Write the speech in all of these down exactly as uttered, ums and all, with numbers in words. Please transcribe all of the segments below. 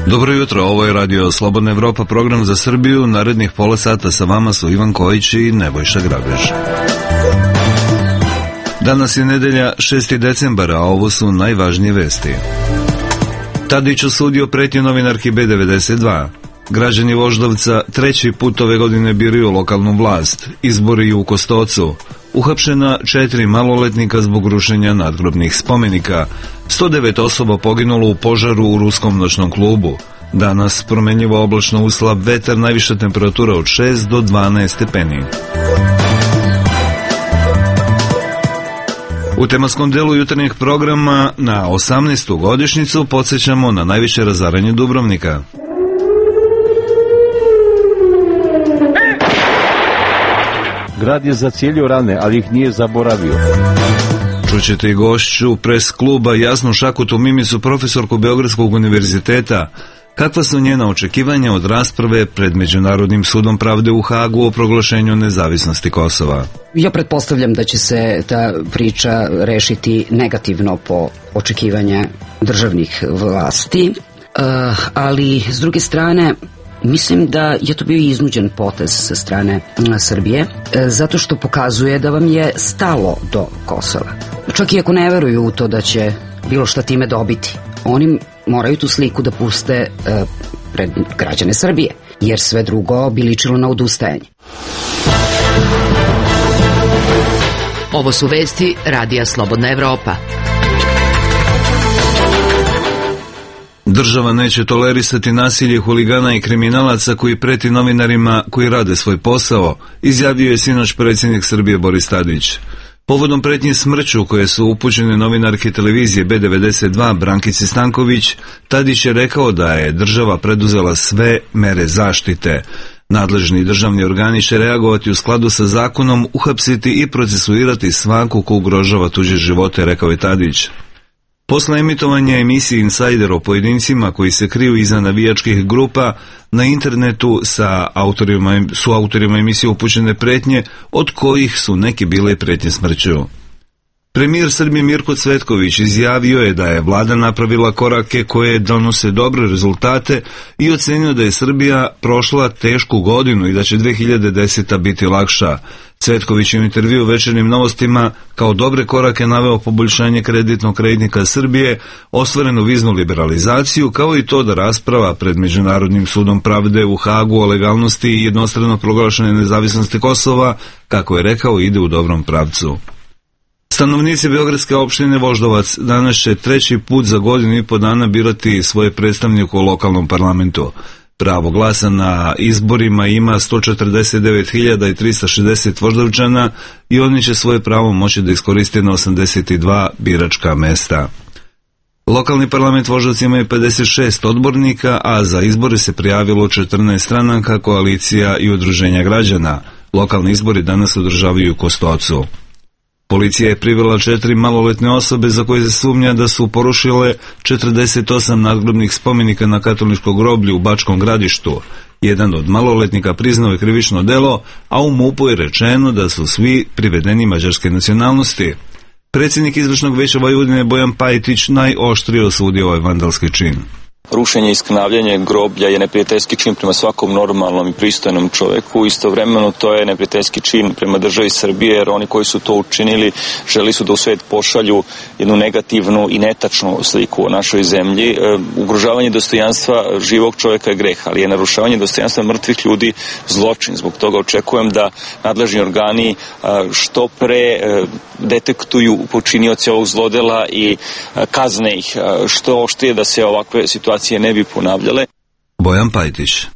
Dobro jutro, ovo je Radio Slobodna Evropa, program za Srbiju. Narednih pola sata sa vama su Ivan Kojić i Nebojša Grabež. Danas je nedelja šesti decembar, a ovo su najvažnije vesti. Tadić osudio pretnju novinarki B devedeset dva. Građani Voždovca treći put ove godine biraju lokalnu vlast. Izbori u Kostolcu. Uhapšena četiri maloletnika zbog rušenja nadgrobnih spomenika. sto devet osoba poginulo u požaru u ruskom noćnom klubu. Danas promenljivo oblačno uslov, vetar, najviša temperatura od šest do dvanaest stepeni. U tematskom delu jutarnjeg programa na osamnaestu godišnjicu podsjećamo na najviše razaranje Dubrovnika. Grad je zacijelio rane, ali ih nije zaboravio. Čućete i gošću pres kluba Jasnu Šakutu Mimicu, profesorku Beogradskog univerziteta. Kakva su njena očekivanja od rasprave pred Međunarodnim sudom pravde u Hagu o proglašenju nezavisnosti Kosova? Ja pretpostavljam da će se ta priča rešiti negativno po očekivanja državnih vlasti, ali s druge strane mislim da je to bio iznuđen potez sa strane Srbije, zato što pokazuje da vam je stalo do Kosova. Čak i ako ne veruju u to da će bilo šta time dobiti, oni moraju tu sliku da puste pred građane Srbije, jer sve drugo bi ličilo na odustajanje. Ovo su vesti Radija Slobodna Evropa. Država neće tolerisati nasilje huligana i kriminalaca koji preti novinarima koji rade svoj posao, izjavio je sinoć predsjednik Srbije Boris Tadić. Povodom pretnje smrću koje su upućene novinarke televizije B devedeset dva Brankici Stanković, Tadić je rekao da je država preduzela sve mere zaštite. Nadležni državni organi će reagovati u skladu sa zakonom, uhapsiti i procesuirati svaku ko ugrožava tuđe živote, rekao je Tadić. Posle emitovanja emisije Insider o pojedincima koji se kriju iza navijačkih grupa, na internetu sa autorima, su autorima emisije upućene pretnje, od kojih su neke bile pretnje smrću. Premijer Srbije Mirko Cvetković izjavio je da je vlada napravila korake koje donose dobre rezultate i ocenio da je Srbija prošla tešku godinu i da će dve hiljade deseta biti lakša. Cvetković je u intervju Večernjim novostima kao dobre korake naveo poboljšanje kreditnog rejtinga Srbije, ostvarenu viznu liberalizaciju, kao i to da rasprava pred Međunarodnim sudom pravde u Hagu o legalnosti i jednostrano proglašene nezavisnosti Kosova, kako je rekao, ide u dobrom pravcu. Stanovnici Beogradske opštine Voždovac danas će treći put za godinu i po dana birati svoje predstavnike u lokalnom parlamentu. Pravo glasa na izborima ima sto četrdeset devet hiljada trista šezdeset Voždovčana i oni će svoje pravo moći da iskoriste na osamdeset dva biračka mesta. Lokalni parlament Voždovac ima pedeset šest odbornika, a za izbore se prijavilo četrnaest stranaka, koalicija i udruženja građana. Lokalni izbori danas održavaju u Kostolcu. Policija je privela četiri maloletne osobe za koje se sumnja da su porušile četrdeset osam nadgrobnih spomenika na katoličkom groblju u Bačkom Gradištu. Jedan od maloletnika priznao je krivično delo, a u MUP-u je rečeno da su svi privedeni mađarske nacionalnosti. Predsjednik izvršnog veća Vojvodine Bojan Pajtić najoštrije osudio ovaj vandalski čin. Rušenje i skrnavljanje groblja je neprijateljski čin prema svakom normalnom i pristojnom čoveku. Istovremeno to je neprijateljski čin prema državi Srbije, jer oni koji su to učinili želi su da u svet pošalju jednu negativnu i netačnu sliku o našoj zemlji. E, ugrožavanje dostojanstva živog čoveka je greh, ali je narušavanje dostojanstva mrtvih ljudi zločin. Zbog toga očekujem da nadležni organi a, što pre e, detektuju počinioce ovog zlodela i a, kazne ih a, što oštrije da se ovakve situacije ne bi ponavljale. Bojan Pajtić.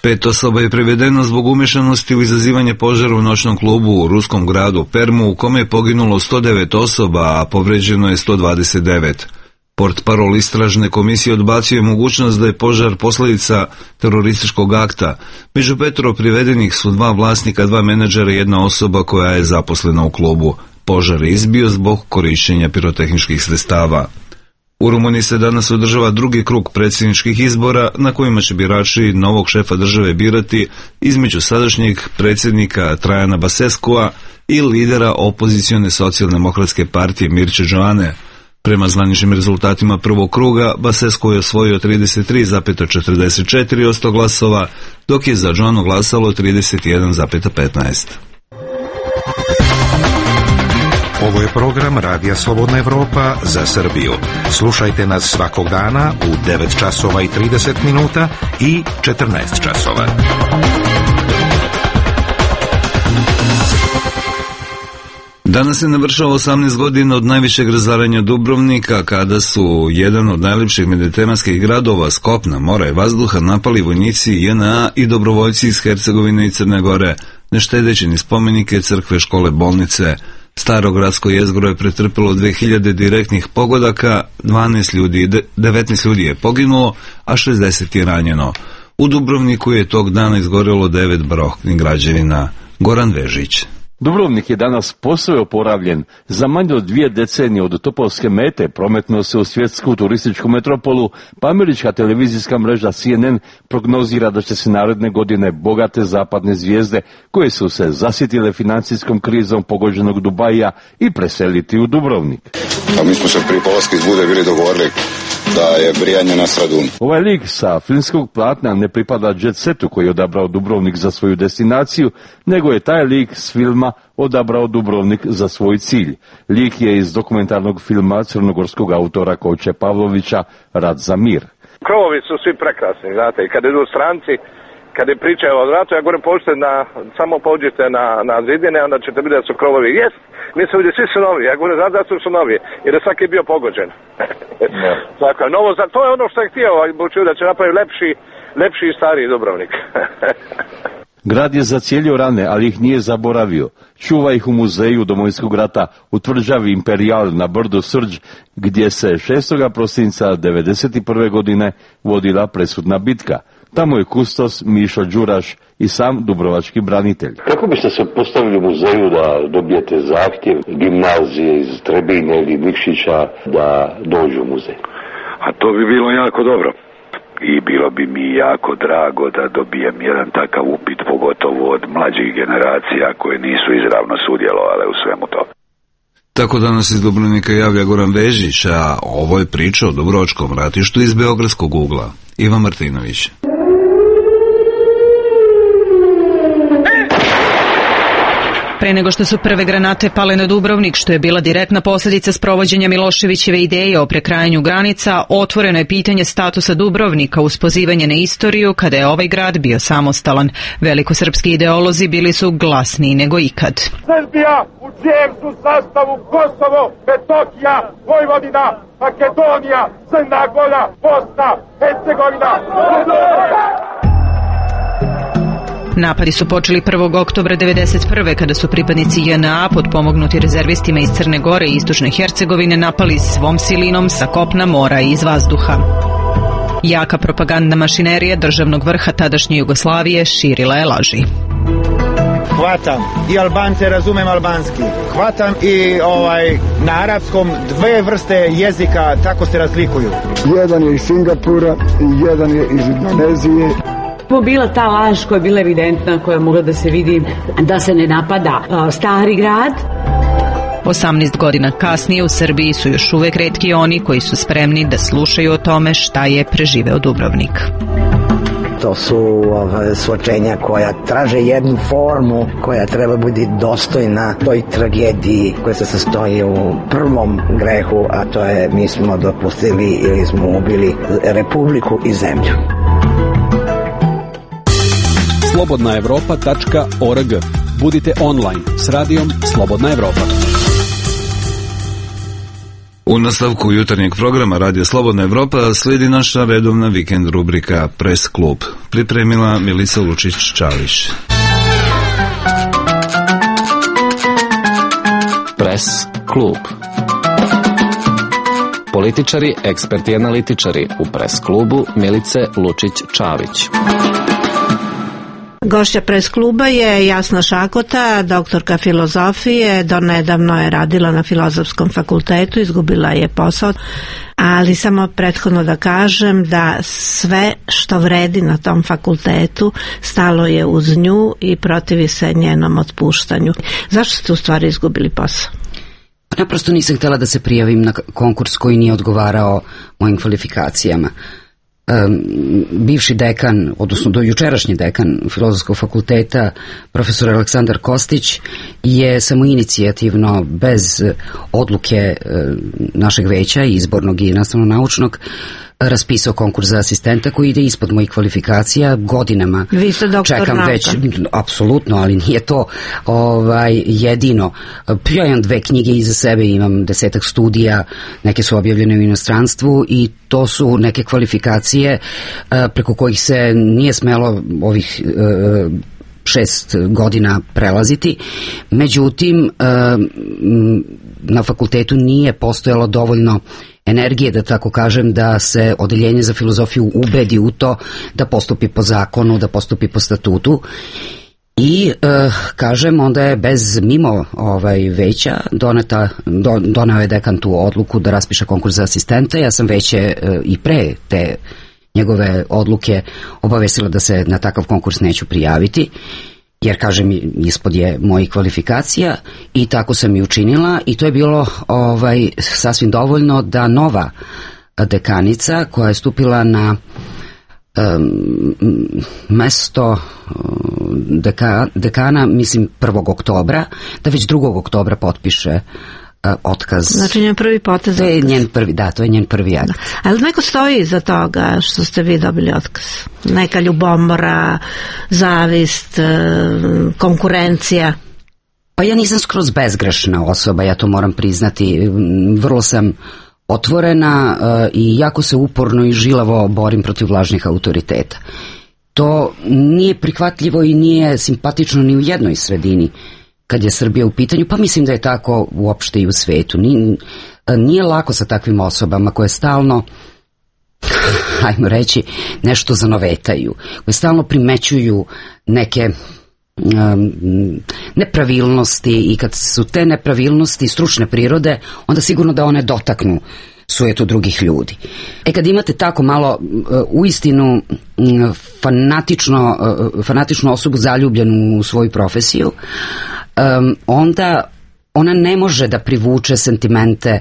Pet osoba je privedeno zbog umješanosti u izazivanje požara u noćnom klubu u ruskom gradu Permu, u kome je poginulo sto devet osoba, a povređeno je sto dvadeset devet. Portparol istražne komisije odbacio je mogućnost da je požar posljedica terorističkog akta. Među petoro privedenih su dva vlasnika, dva menadžera i jedna osoba koja je zaposlena u klubu. Požar je izbio zbog korišćenja pirotehničkih sredstava. U Rumuniji se danas održava drugi krug predsjedničkih izbora na kojima će birači novog šefa države birati između sadašnjeg predsjednika Trajana Baseskua i lidera opozicione socijaldemokratske partije Mirče Joane. Prema zvaničnim rezultatima prvog kruga, Basescu je osvojio trideset tri zarez četrdeset četiri posto glasova, dok je za Joanu glasalo trideset jedan zarez petnaest. Ovo je program Radija Slobodna Evropa za Srbiju. Slušajte nas svakog dana u devet časova i trideset minuta i četrnaest časova. Danas se navršava osamnaest godina od najvišeg razaranja Dubrovnika, kada su jedan od najljepših mediteranskih gradova s kopna, mora i vazduha napali vojnici J N A i dobrovoljci iz Hercegovine i Crne Gore, ne štedeći ni spomenike, crkve, škole, bolnice. Staro gradsko jezgro je pretrpelo dve hiljade direktnih pogodaka, dvanaest ljudi, devetnaest ljudi je poginulo, a šezdeset je ranjeno. U Dubrovniku je tog dana izgorelo devet baroknih građevina. Goran Vežić. Dubrovnik je danas posve oporavljen. Za manje od dvije decenije od topovske mete prometno se u svjetsku turističku metropolu, pa američka televizijska mreža C N N prognozira da će se naredne godine bogate zapadne zvijezde, koje su se zasitile financijskom krizom pogođenog Dubaija, i preseliti u Dubrovnik. A mi smo se prije polaska iz Bude bili dogovorili da je brijanje na Stradunu. Ovaj lik sa filmskog platna ne pripada jet setu koji je odabrao Dubrovnik za svoju destinaciju, nego je taj lik s filma odabrao Dubrovnik za svoj cilj. Lik je iz dokumentarnog filma crnogorskog autora Koče Pavlovića Rad za mir. Krovovi su svi prekrasni, znate, i kad idu stranci, kad je pričaju o ratu, ja govorim, pođite na, samo pođite na, na zidine, onda ćete vidjeti da su krovovi. Jest, mi se vidi, svi su novi, ja govorim, znate da su, su novi, jer je svaki bio pogođen. Yeah. Tako, novo, to je ono što je htio, da će napraviti lepši, lepši i stariji Dubrovnik. Grad je zacijelio rane, ali ih nije zaboravio. Čuva ih u muzeju Domovinskog rata u tvrđavi Imperial na brdu Srđ, gdje se šestog prosinca devedeset prve godine vodila presudna bitka. Tamo je kustos Mišo Đuraš i sam dubrovački branitelj. Kako biste se postavili u muzeju da dobijete zahtjev gimnazije iz Trebinja ili Nikšića da dođu u muzej? A to bi bilo jako dobro. I bilo bi mi jako drago da dobijem jedan takav upit, pogotovo od mlađih generacija koje nisu izravno sudjelovale u svemu to. Tako danas iz Dubrovnika javlja Goran Vežić, a ovo je priča o Dubrovačkom ratištu iz Beogradskog ugla. Ivan Martinović. Pre nego što su prve granate pale na Dubrovnik, što je bila direktna posljedica sprovođenja Miloševićeve ideje o prekrajanju granica, otvoreno je pitanje statusa Dubrovnika uz pozivanje na istoriju kada je ovaj grad bio samostalan. Velikosrpski ideolozi bili su glasniji nego ikad. Srbija, u čijem su sastavu Kosovo, Metohija, Vojvodina, Makedonija, Crna Gora, Bosna, Hercegovina. Napadi su počeli prvog oktobra devedeset prve kada su pripadnici J N A potpomognuti rezervistima iz Crne Gore i Istočne Hercegovine napali svom silinom sa kopna, mora i iz vazduha. Jaka propagandna mašinerija državnog vrha tadašnje Jugoslavije širila je laži. Hvatam i Albance, razumem albanski. Hvatam i ovaj na arapskom dve vrste jezika, tako se razlikuju. Jedan je iz Singapura i jedan je iz Indonezije. Bila ta laž koja je bila evidentna, koja je mogla da se vidi da se ne napada uh, stari grad. osamnaest godina kasnije u Srbiji su još uvek retki oni koji su spremni da slušaju o tome šta je preživeo Dubrovnik. To su uh, suočenja koja traže jednu formu koja treba biti dostojna toj tragediji koja se sastoji u prvom grehu, a to je mi smo dopustili ili smo ubili republiku i zemlju. slobodna evropa tačka org. Budite online s radijom Slobodna Evropa. U nastavku jutarnjeg programa Radija Slobodna Evropa slijedi naša redovna vikend rubrika Press klub. Pripremila Milica Lučić-Čalić. Press klub. Političari, eksperti i analitičari u Press klubu Milice Lučić-Čalić. Gošća Pres kluba je Jasna Šakota, doktorka filozofije, donedavno je radila na Filozofskom fakultetu, izgubila je posao, ali samo prethodno da kažem da sve što vredi na tom fakultetu stalo je uz nju i protivi se njenom otpuštanju. Zašto ste u stvari izgubili posao? Naprosto nisam htjela da se prijavim na konkurs koji nije odgovarao mojim kvalifikacijama. Um, bivši dekan, odnosno do jučerašnji dekan Filozofskog fakulteta, profesor Aleksandar Kostić, je samoinicijativno, bez odluke uh, našeg veća, izbornog i nastavno-naučnog, raspisao konkurs za asistenta koji ide ispod mojih kvalifikacija. Godinama čekam već, apsolutno, ali nije to ovaj, jedino. Ja imam dve knjige iza sebe, imam desetak studija, neke su objavljene u inostranstvu i to su neke kvalifikacije preko kojih se nije smelo ovih šest godina prelaziti. Međutim, na fakultetu nije postojalo dovoljno energije, da tako kažem, da se odeljenje za filozofiju ubedi u to da postupi po zakonu, da postupi po statutu. I e, kažem, onda je bez mimo ovaj veća doneta, do, doneo je dekan tu odluku da raspiše konkurs za asistenta. Ja sam veće e, i pre te njegove odluke obavestila da se na takav konkurs neću prijaviti, jer kažem, ispod je mojih kvalifikacija, i tako sam i učinila, i to je bilo ovaj, sasvim dovoljno da nova dekanica koja je stupila na um, mesto deka, dekana, mislim prvog oktobra, da već drugog oktobra potpiše uh, otkaz. Znači njen prvi potez. To je njen prvi, da, to je njen prvi akt. Da. Ali neko stoji iza toga što ste vi dobili otkaz? Neka ljubomora, zavist, konkurencija? Pa ja nisam skroz bezgrešna osoba, ja to moram priznati. Vrlo sam otvorena i jako se uporno i žilavo borim protiv lažnih autoriteta. To nije prihvatljivo i nije simpatično ni u jednoj sredini kad je Srbija u pitanju, pa mislim da je tako uopšte i u svetu. Nije, nije lako sa takvim osobama koje stalno, ajmo reći, nešto zanovetaju, koje stalno primećuju neke um, nepravilnosti, i kad su te nepravilnosti stručne prirode, onda sigurno da one dotaknu sujetu drugih ljudi. E kad imate tako malo uh, uistinu um, fanatično, uh, fanatičnu osobu zaljubljenu u svoju profesiju, um, onda ona ne može da privuče sentimente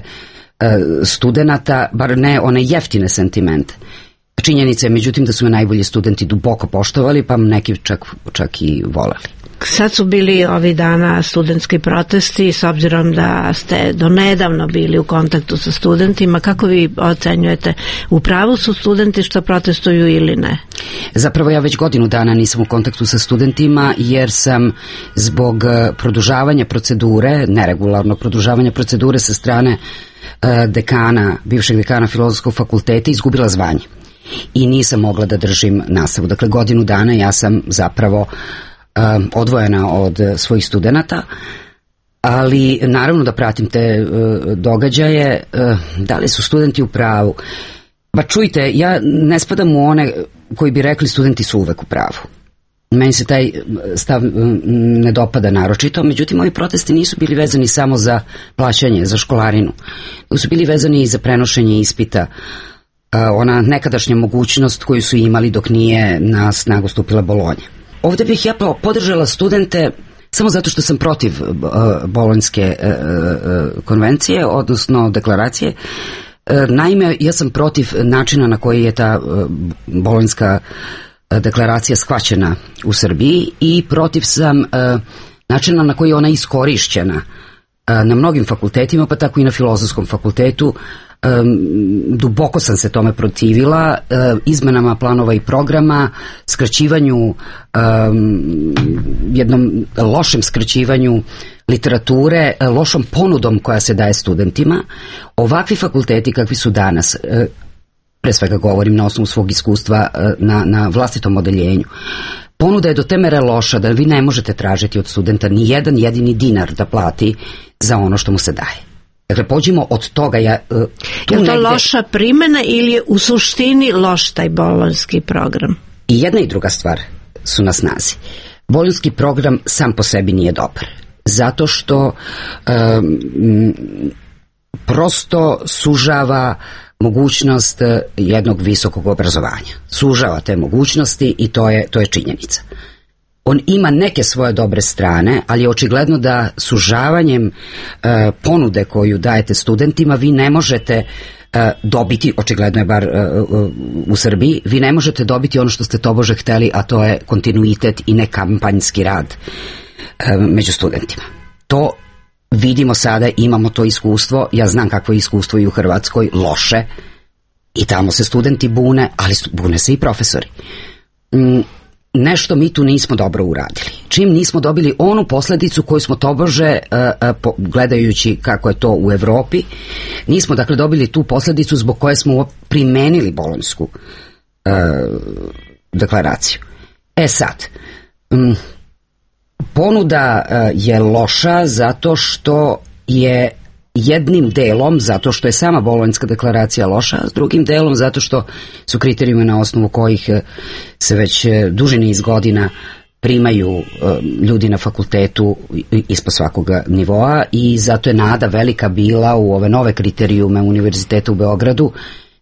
studenata, bar ne one jeftine sentimente. Činjenica je međutim da su me najbolji studenti duboko poštovali, pa neki čak, čak i voleli. Sad su bili ovih dana studentski protesti, s obzirom da ste donedavno bili u kontaktu sa studentima, kako vi ocenjujete, u pravu su studenti što protestuju ili ne? Zapravo ja već godinu dana nisam u kontaktu sa studentima, jer sam zbog produžavanja procedure, neregularnog produžavanja procedure sa strane dekana, bivšeg dekana Filozofskog fakulteta, izgubila zvanje i nisam mogla da držim nastavu. Dakle, godinu dana ja sam zapravo um, odvojena od svojih studenata, ali naravno da pratim te uh, događaje. Uh, da li su studenti u pravu? Pa čujte, ja ne spadam u one koji bi rekli studenti su uvek u pravu. Meni se taj stav ne dopada naročito, međutim ovi protesti nisu bili vezani samo za plaćanje, za školarinu. Su bili vezani i za prenošenje ispita, ona nekadašnja mogućnost koju su imali dok nije na snagu stupila Bolonja. Ovdje bih ja podržala studente samo zato što sam protiv Bolonjske konvencije, odnosno deklaracije. Naime, ja sam protiv načina na koji je ta Bolonjska deklaracija shvaćena u Srbiji i protiv sam uh, načina na koji je ona iskorišćena uh, na mnogim fakultetima, pa tako i na Filozofskom fakultetu. Um, duboko sam se tome protivila, uh, izmenama planova i programa, skraćivanju, um, jednom lošem skraćivanju literature, uh, lošom ponudom koja se daje studentima. Ovakvi fakulteti kakvi su danas, uh, pre svega govorim na osnovu svog iskustva na, na vlastitom odeljenju, ponuda je do te mere loša da vi ne možete tražiti od studenta ni jedan jedini dinar da plati za ono što mu se daje. Dakle, pođimo od toga. Ja, tu je to negde... loša primjena ili je u suštini loš taj bolonjski program? I jedna i druga stvar. su na snazi. Bolonjski program sam po sebi nije dobar, zato što um, prosto sužava mogućnost jednog visokog obrazovanja. Sužava te mogućnosti i to je, to je činjenica. On ima neke svoje dobre strane, ali je očigledno da sužavanjem e, ponude koju dajete studentima vi ne možete e, dobiti, očigledno je bar e, u Srbiji, vi ne možete dobiti ono što ste tobože hteli, a to je kontinuitet i nekampanjski rad e, među studentima. To vidimo sada, imamo to iskustvo, ja znam kakvo je iskustvo i u Hrvatskoj, loše, i tamo se studenti bune, ali bune se i profesori. Mm, nešto mi tu nismo dobro uradili. Čim nismo dobili onu posledicu koju smo tobože, uh, uh, gledajući kako je to u Evropi, nismo dakle dobili tu posledicu zbog koje smo primenili bolonjsku uh, deklaraciju. E sad, um, ponuda uh, je loša zato što je jednim delom zato što je sama bolonjska deklaracija loša, a s drugim delom zato što su kriterijumi na osnovu kojih se već duži niz godina primaju ljudi na fakultetu ispod svakoga nivoa, i zato je nada velika bila u ove nove kriterijume Univerziteta u Beogradu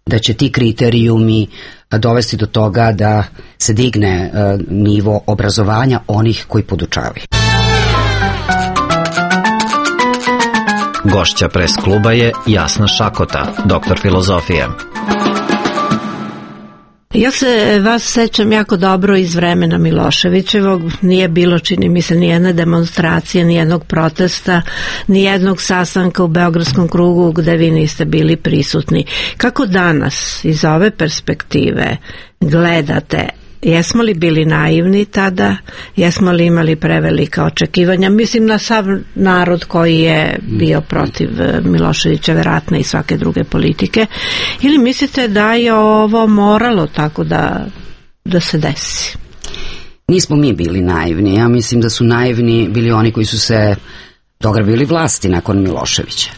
da će ti kriterijumi dovesti do toga da se digne nivo obrazovanja onih koji podučavaju. Gošća pres kluba je Jasna Šakota, doktor filozofije. Ja se vas sećam jako dobro iz vremena Miloševićevog, nije bilo, čini mi se, nijedne demonstracije, nijednog protesta, nijednog sastanka u Beogradskom krugu gde vi niste bili prisutni. Kako danas iz ove perspektive gledate? Jesmo li bili naivni tada? Jesmo li imali prevelika očekivanja? Mislim na sav narod koji je bio protiv Miloševićeve ratne i svake druge politike. Ili mislite da je ovo moralo tako da, da se desi? Nismo mi bili naivni. Ja mislim da su naivni bili oni koji su se dograbili vlasti nakon Miloševića.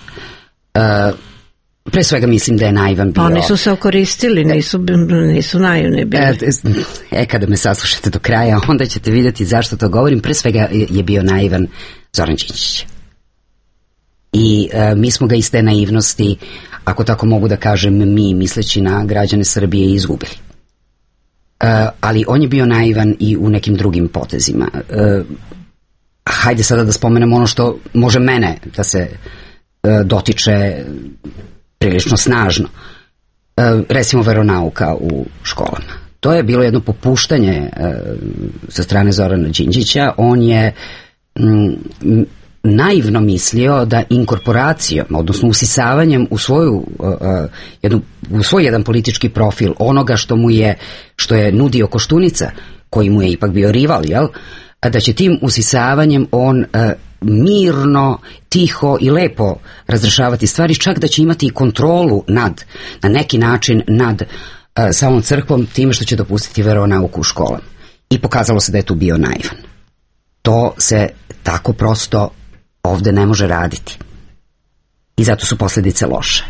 Uh, Pre svega mislim da je naivan bio. Oni su se okoristili, nisu, nisu naivni bili. E, e, kada me saslušate do kraja, onda ćete vidjeti zašto to govorim. Pre svega je bio naivan Zoran Đinđić. I e, mi smo ga iz te naivnosti, ako tako mogu da kažem, mi, misleći na građane Srbije, izgubili. E, ali on je bio naivan i u nekim drugim potezima. E, hajde sada da spomenem ono što može mene da se e, dotiče prilično snažno. E, recimo veronauka u školama. To je bilo jedno popuštanje e, sa strane Zorana Đinđića. On je m, naivno mislio da inkorporacijom, odnosno usisavanjem u svoju uh, jednu, u svoj jedan politički profil onoga što mu je, što je nudio Koštunica, koji mu je ipak bio rival, jel? A da će tim usisavanjem on uh, mirno, tiho i lepo razrešavati stvari, čak da će imati i kontrolu nad, na neki način nad uh, samom crkvom, time što će dopustiti veronauku u školama. I pokazalo se da je tu bio naivan. To se tako prosto ovde ne može raditi. I zato su posljedice loše.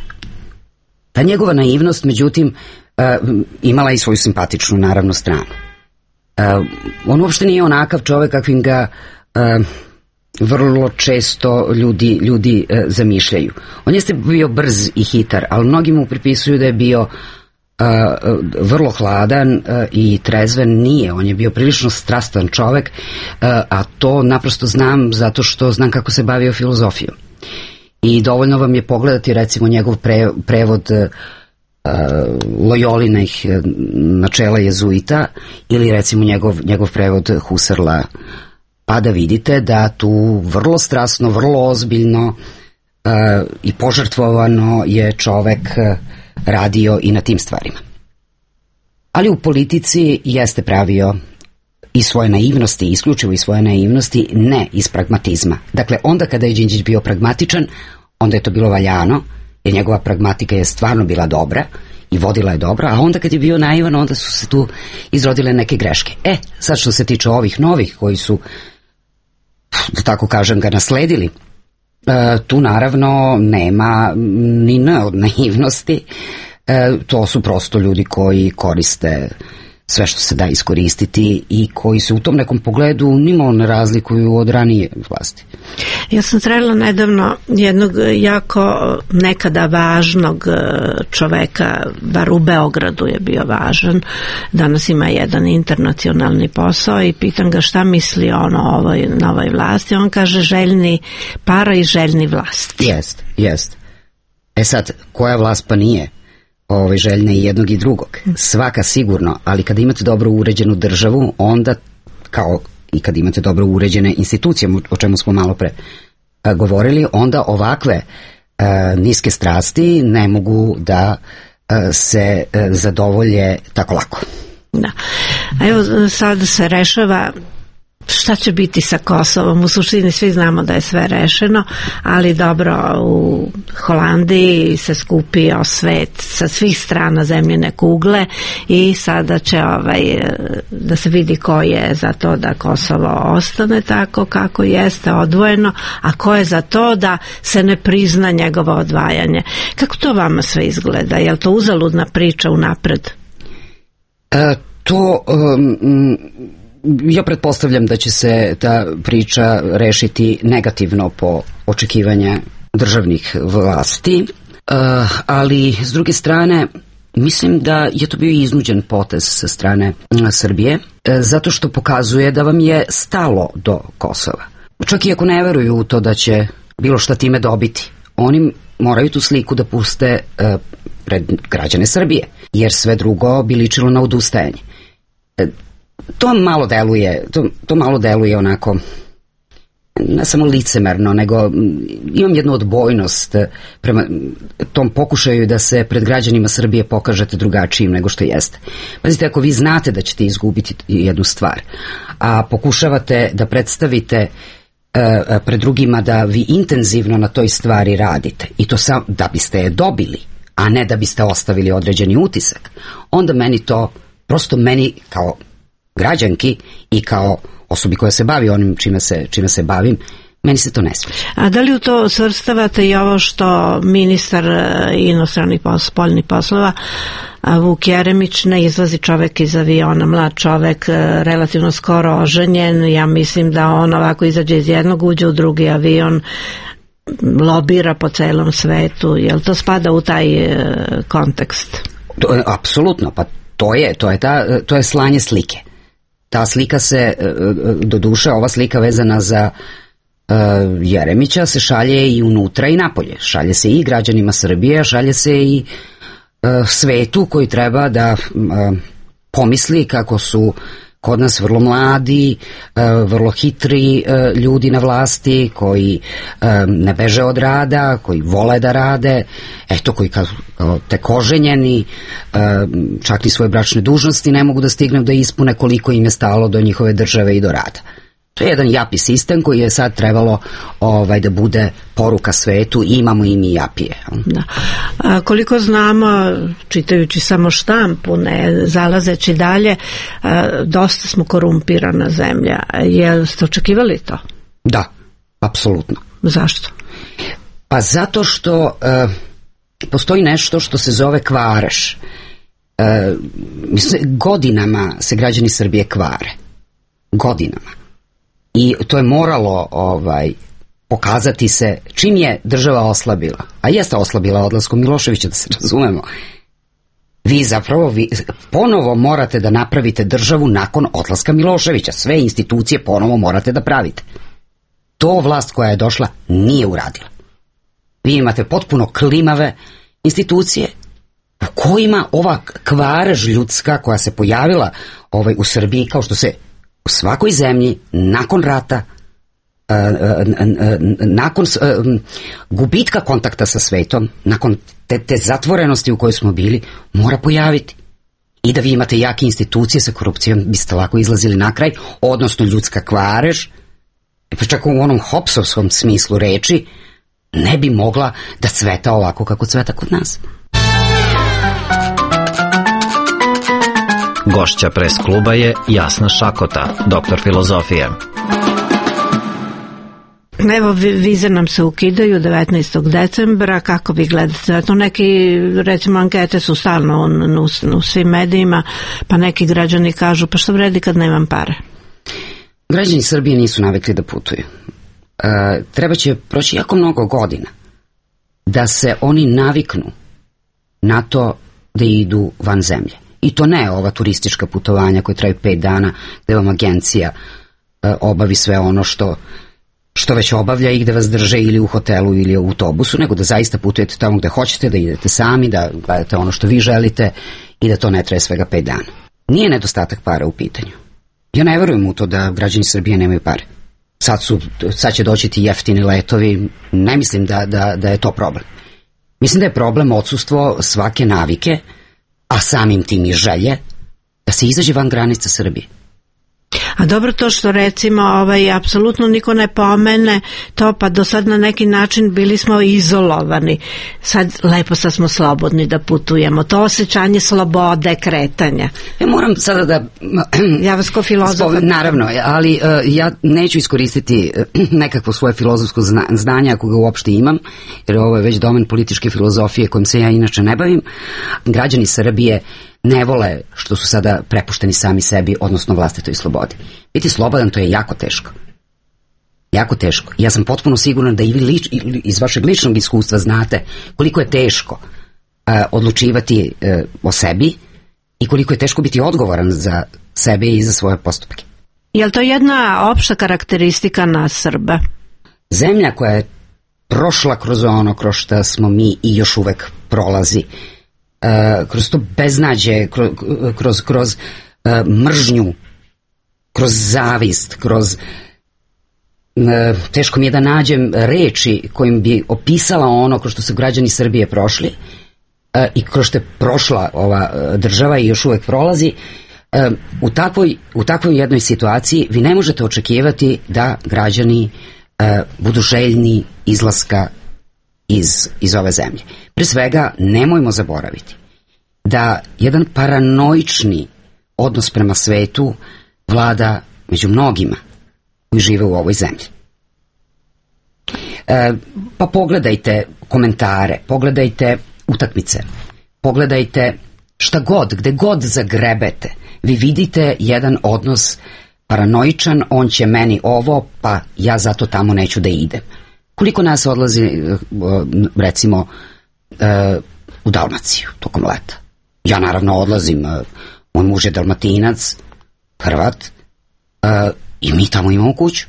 Ta njegova naivnost, međutim, uh, imala i svoju simpatičnu, naravno, stranu. Uh, on uopšte nije onakav čovek kakvim ga uh, vrlo često ljudi, ljudi uh, zamišljaju. On jeste bio brz i hitar, ali mnogi mu pripisuju da je bio Uh, vrlo hladan uh, i trezven. Nije, on je bio prilično strastan čovek, uh, a to naprosto znam zato što znam kako se bavio filozofijom. I dovoljno vam je pogledati recimo njegov pre, prevod uh, Lojolinih načela jezuita ili recimo njegov, njegov prevod Husserla, pa da vidite da tu vrlo strasno, vrlo ozbiljno uh, i požrtvovano je čovek uh, radio i na tim stvarima. Ali u politici jeste pravio i svoje naivnosti, isključivo i svoje naivnosti, ne iz pragmatizma. Dakle, onda kada je Đinđić bio pragmatičan, onda je to bilo valjano, jer njegova pragmatika je stvarno bila dobra i vodila je dobro, a onda kad je bio naivan, onda su se tu izrodile neke greške. E, sad što se tiče ovih novih koji su, da tako kažem, ga nasledili, E, tu naravno nema ni n od naivnosti, e, to su prosto ljudi koji koriste sve što se da iskoristiti i koji se u tom nekom pogledu nimalo ne razlikuju od ranije vlasti. Ja sam srela nedavno jednog jako nekada važnog čoveka, bar u Beogradu je bio važan, danas ima jedan internacionalni posao i pitam ga šta misli on o ovoj novoj vlasti. On kaže željni para i željni vlasti. Jest, jest. E sad, koja vlast pa nije ovaj, željna i jednog i drugog? Svaka sigurno, ali kada imate dobro uređenu državu, onda kao i kad imate dobro uređene institucije, o čemu smo malo pre a, govorili, onda ovakve a, niske strasti ne mogu da a, se a, zadovolje tako lako. Da. A evo sad se rešava šta će biti sa Kosovom. U suštini svi znamo da je sve rešeno, ali dobro, u Holandiji se skupio svet sa svih strana zemljine kugle i sada će ovaj, da se vidi ko je za to da Kosovo ostane tako kako jeste odvojeno, a ko je za to da se ne prizna njegovo odvajanje. Kako to vama sve izgleda? Je li to uzaludna priča unapred? E, to... Um, Ja pretpostavljam da će se ta priča rešiti negativno po očekivanja državnih vlasti, ali s druge strane mislim da je to bio iznuđen potez sa strane Srbije, zato što pokazuje da vam je stalo do Kosova. Čak i ako ne veruju u to da će bilo šta time dobiti, oni moraju tu sliku da puste pred građane Srbije, jer sve drugo bi ličilo na odustajanje. To malo deluje, to, to malo deluje onako, ne samo licemerno, nego imam jednu odbojnost prema tom pokušaju da se pred građanima Srbije pokažete drugačijim nego što jeste. Pazite, ako vi znate da ćete izgubiti jednu stvar, a pokušavate da predstavite uh, pred drugima da vi intenzivno na toj stvari radite, i to sam da biste je dobili, a ne da biste ostavili određeni utisak, onda meni to, prosto meni kao građanki i kao osobi koja se bavi onim čime se, čime se bavim, meni se to ne sviđa. A da li u to svrstavate i ovo što ministar inostranih pos, spoljnih poslova Vuk Jeremić, ne izlazi čovek iz aviona, mlad čovek, relativno skoro oženjen, ja mislim da on ovako izađe iz jednog, uđe u drugi avion, lobira po celom svetu, jel to spada u taj kontekst? To, apsolutno, pa to je, to je, ta, to je slanje slike. Ta slika se, do duše, ova slika vezana za uh, Jeremića se šalje i unutra i napolje. Šalje se i građanima Srbije, šalje se i uh, svetu koji treba da uh, pomisli kako su kod nas vrlo mladi, uh, vrlo hitri uh, ljudi na vlasti, koji uh, ne beže od rada, koji vole da rade, eto, koji kao, kao tek oženjeni, uh, čak ni svoje bračne dužnosti ne mogu da stignu da ispune koliko im je stalo do njihove države i do rada. To je jedan japi sistem koji je sad trebalo ovaj, da bude poruka svetu, imamo i mi japije. Da. A koliko znamo, čitajući samo štampu, ne zalazeći dalje, a, dosta smo korumpirana zemlja. Jel ste očekivali to? Da, apsolutno. Zašto? Pa zato što uh, postoji nešto što se zove kvareš. Uh, mislim, godinama se građani Srbije kvare. Godinama. I to je moralo ovaj, pokazati se čim je država oslabila. A jeste oslabila odlaskom Miloševića, da se razumemo. Vi zapravo vi ponovo morate da napravite državu nakon odlaska Miloševića. Sve institucije ponovo morate da pravite. To vlast koja je došla nije uradila. Vi imate potpuno klimave institucije u kojima ova kvarež ljudska koja se pojavila ovaj, u Srbiji, kao što se u svakoj zemlji nakon rata, nakon gubitka kontakta sa svetom, nakon te, te zatvorenosti u kojoj smo bili, mora pojaviti. I da vi imate jake institucije sa korupcijom, biste lako izlazili na kraj, odnosno ljudska kvarež, pa čak u onom Hopsovskom smislu reči, ne bi mogla da cveta ovako kako cveta kod nas. Gošća pres kluba je Jasna Šakota, doktor filozofije. Evo, vize nam se ukidaju devetnaestog decembra, kako vi gledate? To neki, recimo, ankete su stalno u, u, u svim medijima, pa neki građani kažu, pa što vredi kad nemam pare? Građani Srbije nisu navikli da putuju. E, treba će proći jako mnogo godina da se oni naviknu na to da idu van zemlje. I to ne ova turistička putovanja koje traju pet dana, gde vam agencija e, obavi sve ono što što već obavlja i gde vas drže ili u hotelu ili u autobusu, nego da zaista putujete tamo gde hoćete, da idete sami, da gledate ono što vi želite i da to ne traje svega pet dana. Nije nedostatak para u pitanju. Ja ne verujem u to da građani Srbije nemaju pare. Sad, su, sad će doći ti jeftini letovi, ne mislim da, da, da je to problem. Mislim da je problem odsustvo svake navike, a samim tim i želje, da se izađe van granica Srbije. A dobro, to što recimo ovaj, apsolutno niko ne pomene to, pa do sad na neki način bili smo izolovani. Sad lepo sad smo slobodni da putujemo. To osjećanje slobode kretanja. Ja moram sada da... ja vas ko filozofa... Naravno, ali uh, ja neću iskoristiti uh, nekakvo svoje filozofsko zna, znanje, ako ga uopšte imam, jer ovo je već domen političke filozofije kojim se ja inače ne bavim. Građani Srbije ne vole što su sada prepušteni sami sebi, odnosno vlastitoj slobodi. Biti slobodan, to je jako teško. Jako teško. Ja sam potpuno sigurna da i vi lič, iz vašeg ličnog iskustva znate koliko je teško uh, odlučivati uh, o sebi i koliko je teško biti odgovoran za sebe i za svoje postupke. Je li to jedna opšta karakteristika nas Srba? Zemlja koja je prošla kroz ono kroz što smo mi i još uvek prolazi, Uh, kroz to beznađe, kroz, kroz, kroz uh, mržnju, kroz zavist, kroz uh, teško mi je da nađem reči kojim bi opisala ono kroz što su građani Srbije prošli uh, i kroz što je prošla ova uh, država i još uvek prolazi. Uh, u, takvoj, u takvoj jednoj situaciji vi ne možete očekivati da građani uh, budu željni izlaska Iz, iz ove zemlje. Pre svega, nemojmo zaboraviti da jedan paranoični odnos prema svetu vlada među mnogima koji žive u ovoj zemlji. E, pa pogledajte komentare, pogledajte utakmice, pogledajte šta god, gde god zagrebete, vi vidite jedan odnos paranoičan, on će meni ovo, pa ja zato tamo neću da idem. Koliko nas odlazi, recimo, u Dalmaciju tokom leta? Ja naravno odlazim, moj muž je Dalmatinac, Hrvat, i mi tamo imamo kuću.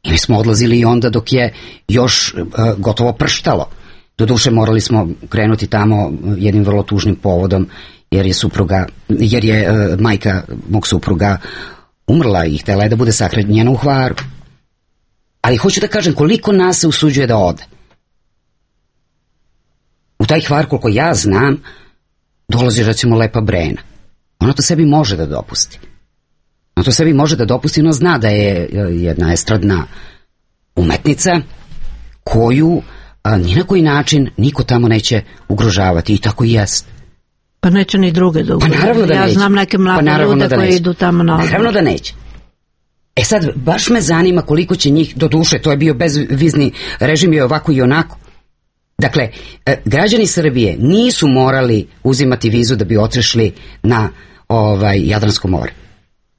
I mi smo odlazili i onda dok je još gotovo prštalo. Doduše morali smo krenuti tamo jednim vrlo tužnim povodom, jer je supruga, jer je majka mog supruga umrla i htjela je da bude sahranjena u Hvaru. Ali hoću da kažem koliko nas se usuđuje da ode. U taj Hvar, koliko ja znam, dolazi recimo Lepa Brena. Ona to sebi može da dopusti. Ona to sebi može da dopusti, ona zna da je jedna estradna umetnica koju a, ni na koji način niko tamo neće ugrožavati i tako i jest. Pa neće ni druge da ugrožavati. Pa naravno da ja neće. znam neke mlade pa ljude da koji neće. idu tamo na odmor. Naravno da neće. E sad, baš me zanima koliko će njih, do duše, to je bio bezvizni režim, je ovako i onako. Dakle, e, građani Srbije nisu morali uzimati vizu da bi otišli na ovaj, Jadransko more.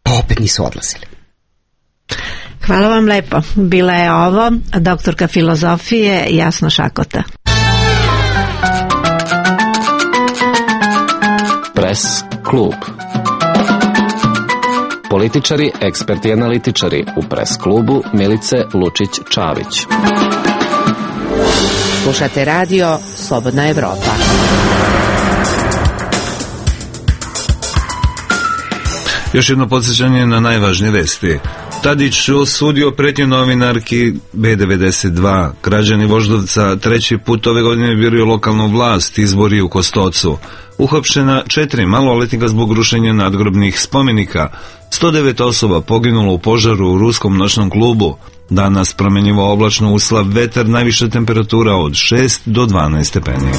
Pa opet nisu odlazili. Hvala vam lepo. Bila je ovo doktorka filozofije Jasna Šakota. Pres klub. Političari, eksperti i analitičari u Pres klubu Milice Lučić-Čavić. Slušate radio Slobodna Evropa. Još jedno podsjećanje na najvažnije vesti. Tadić osudio pretnju novinarki B devedeset dva. Građani Voždovca treći put ove godine vjeruju lokalnu vlast, izbori u Kostocu. Uhapšena četiri maloletnika zbog rušenja nadgrobnih spomenika. sto devet osoba poginulo u požaru u ruskom noćnom klubu. Danas promenjivo oblačno, uslav vetar, najviša temperatura od šest do dvanaest stepeni.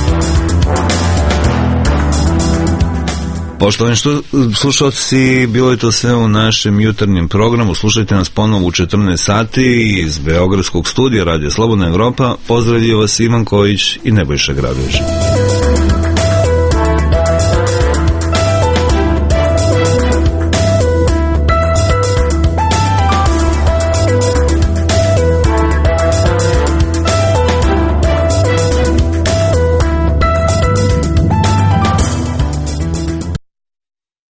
Poštovani što, slušalci, bilo je to sve u našem jutarnjem programu. Slušajte nas ponovo u četrnaest sati iz Beogradskog studija Radija Slobodna Evropa. Pozdravljaju vas Ivan Kojić i Nebojša Gradović.